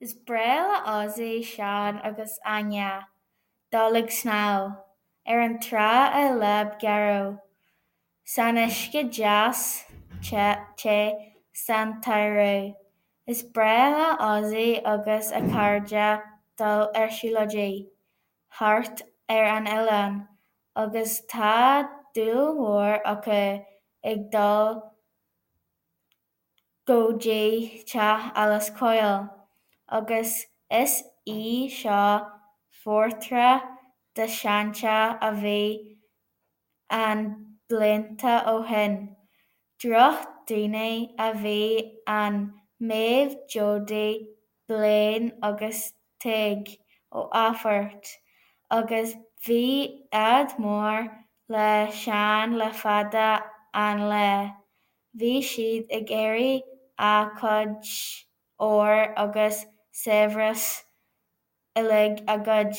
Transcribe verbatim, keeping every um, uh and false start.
Is breá le Ozzy, Seán agus Áine dul ag snámh ar an trá i Láb Gharbh, san uisce deas te san tsamhradh. Is breá le Ozzy agus a chairde dul ar siúlóidí thart ar an oileán agus tá dúil mhór acu ag dul go dtí teach Alice Coyle, agus is í seo portráid de sheanteach a bhí ann blianta ó shin. Drochdhaoine a bhí ann Méabh, Jody, Blaine agus Tadhg Ó Ádhaimh agus bhí ádh mór le Seán le fada an lá. Bhí siad ag iarraidh a chuid óir agus saibhreas uilig a ghoid.